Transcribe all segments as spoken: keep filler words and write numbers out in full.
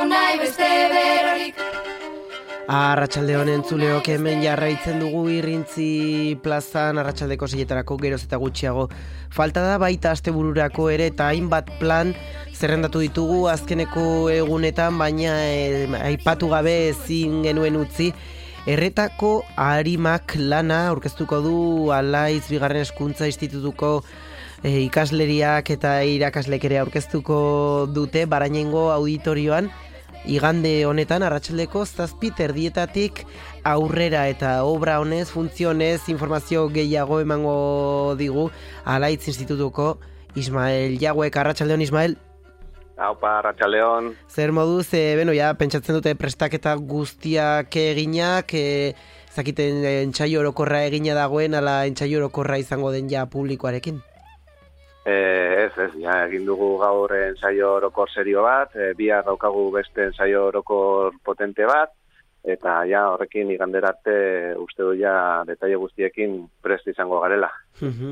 nahi beste berorik. Arratsalde honen entzuleok hemen jarraitzen dugu Irrintzi plazan arratsaldeko seietarako geroz eta gutxiago. Falta da baita astebururako ere eta hainbat plan zerrendatu ditugu azkeneko egunetan, baina eh, aipatu gabe ezin genuen utzi. Erretako arimak lana aurkeztuko du Alaiz bigarren hezkuntza institutuko eh, ikasleriak eta irakaslek ere aurkeztuko dute Barainengo auditorioan. Igande honetan arratsaldeko zazpi terdietatik aurrera eta obra honez, funtzionez, informazio gehiago emango digu Alaiz institutuko Ismael Jauek. Arratsaldeon Ismael. Aupa, arratsaldeon. Zer moduz, e, beno, ja, pentsatzen dute prestaketa guztiak eginak, e, zakiten entsaio orokorra egina dagoen, ala entsaio orokorra izango den ja publikoarekin? Eh, ez, ez, ja, egin dugu gaur ensaio orokor serio bat, e, bihar daukagu beste ensaio orokor potente bat, eta ja horrekin igandera arte uste du ja detaile guztiekin prest izango garela.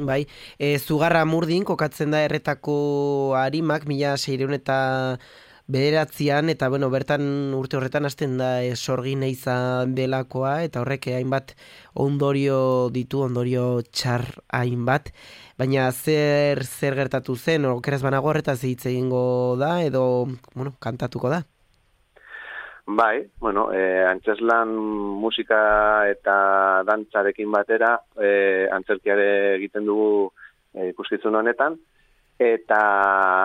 Bai, e, Zugarra Murdin kokatzen da Erretako arimak, mila seiehun eta bederatzian, eta bueno, bertan urte horretan hasten da e, sorgin izan delakoa, eta horrek hainbat ondorio ditu, ondorio txar hainbat. Baina zer zer gertatu zen, okeraz banago horretaz hitz egingo da, edo, bueno, kantatuko da? Bai, bueno, eh, antzeslan musika eta dantzarekin batera, eh, antzerkiare egiten dugu eh, ikuskizun honetan, eta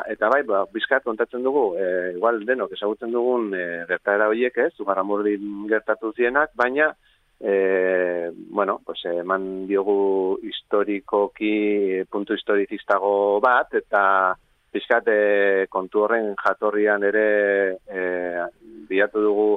eta bai, ba, bizkat kontatzen dugu, eh, igual denok ezagutzen dugun eh, gertaera horiek ez, Zugarra Murdin gertatu zienak, baina Eh, bueno, pues eman diogu historikoki puntu historizistago bat, eta pixkat eh, kontu horren jatorrian ere eh, bilatu dugu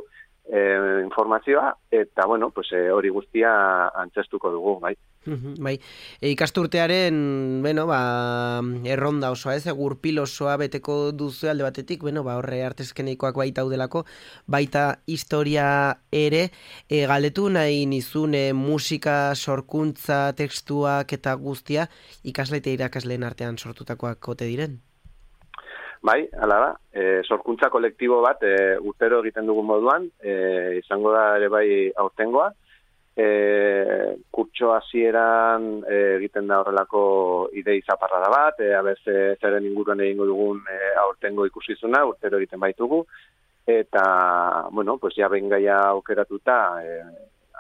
eh, informazioa, eta bueno, pues eh, hori guztia antzestuko dugu, bai. Bai, e, ikasturtearen, bueno, ba, erronda osoa, ez, gurpil osoa beteko duzu alde batetik, bueno, ba, horre artezkeneikoak baita udelako, baita historia ere, e, galdetu nahi nizune musika, sorkuntza, tekstuak eta guztia, ikasle eta irakasleen artean sortutakoak ote diren? Bai, hala da, e, sorkuntza kolektibo bat, e, urtero egiten dugun moduan, e, izango da ere bai aurtengoa, E, kurtso hasieran e, egiten da horrelako idei zaparrada bat, e, abez e, zeren inguruan egingo dugun e, aurtengo ikuskizuna, urtero egiten baitugu, eta, bueno, pues ja behin gaia aukeratuta e,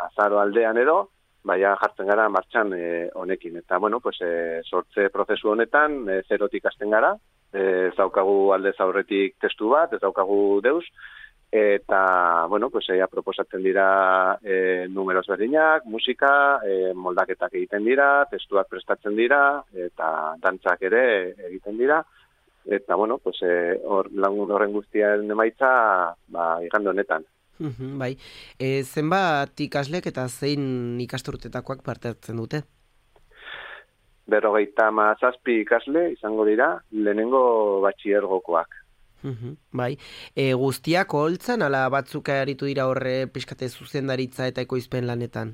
azaro aldean edo, baina jartzen gara martxan e, honekin, eta, bueno, pues e, sortze prozesu honetan, e, zerotik hasten gara, e, ez daukagu aldez aurretik testu bat, ez daukagu deus, eta, bueno, pues ea proposatzen dira e, numeros berdinak, musika, e, moldaketak egiten dira, testuak prestatzen dira, eta dantzak ere egiten dira, eta, bueno, pues hor e, horren guztiaren emaitza, ba, igande honetan. Uh-huh, bai, e, zenbat ikaslek eta zein ikasturtetakoak parte hartzen dute? Berrogeita hamazazpi ikasle izango dira, lehenengo batxilergokoak. Uhum, bai, e, guztiak oholtzan, ala batzuk aritu dira horre pixkate zuzendaritza eta ekoizpen lanetan?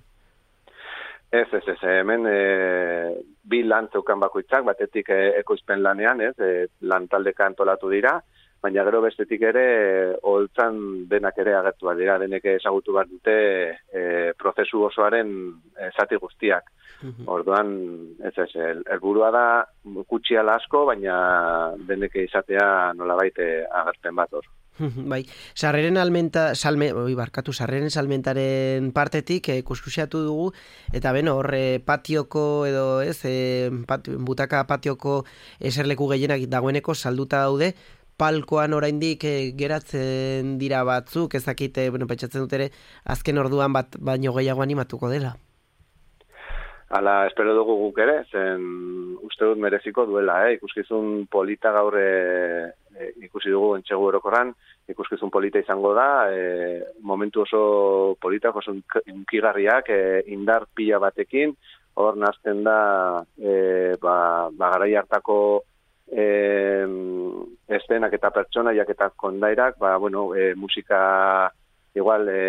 Ez, ez, ez, hemen e, bi lan zeukan bakoitzak, batetik e, ekoizpen lanean, ez, e, lan taldeka antolatu dira, baina gero bestetik ere oholtzan denak ere agertu dira, denek ezagutu behar dute e, prozesu osoaren e, zati guztiak. Uhum. Orduan, ez ez, helburua da kutsiala asko, baina deneke izatea nolabait agertzen bat hor. Bai, sarreren almenta, salme, oi, barkatu, sarreren salmentaren partetik eh, kuskusiatu dugu, eta beno, horre patioko edo ez, eh, pat, butaka patioko eserleku gehienak dagoeneko salduta daude, palkoan oraindik eh, geratzen dira batzuk, ezakite, bueno, pentsatzen dut ere, azken orduan bat baino gehiago animatuko dela. Hala, espero dugu guk ere, zen uste dut mereziko duela, eh? Ikuskizun polita gaur e, e, ikusi dugu entxegu orokorran, ikuskizun polita izango da, e, momentu oso politak, oso unkigarriak, e, indar pila batekin, hor nazten da, e, ba, ba garai hartako e, estenak eta pertsonaiak eta kondairak, ba, bueno, e, musika igual, e,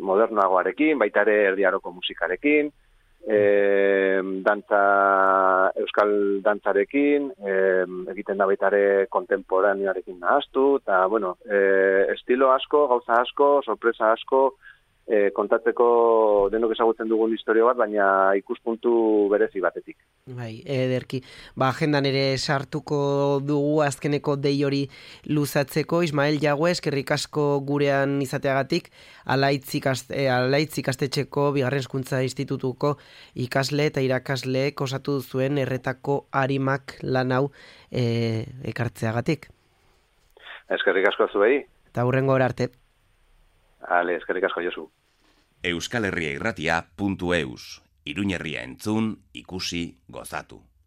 modernoagoarekin, baita ere erdiaroko musikarekin, e, dantza, euskal dantzarekin, e, egiten da baitare kontemporaneoarekin nahaztu, eta, bueno, e, estilo asko, gauza asko, sorpresa asko, e, kontatzeko denok ezagutzen dugun historio bat, baina ikuspuntu berezi batetik. Bai, ederki. Ba, agendan ere sartuko dugu azkeneko dei hori luzatzeko. Ismael Jague, eskerrik asko gurean izateagatik, Alaitz ikaste, eh, Alaitz ikastetxeko Bigarren Hezkuntza Institutuko ikasle eta irakasleek osatu zuen erretako arimak lan hau eh, ekartzeagatik. Eskerrik asko zuei. Eta hurrengo arte. Ale, eskerrik asko Josu. Euskal Herria Irratia puntu eus. Iruñerria entzun, ikusi, gozatu.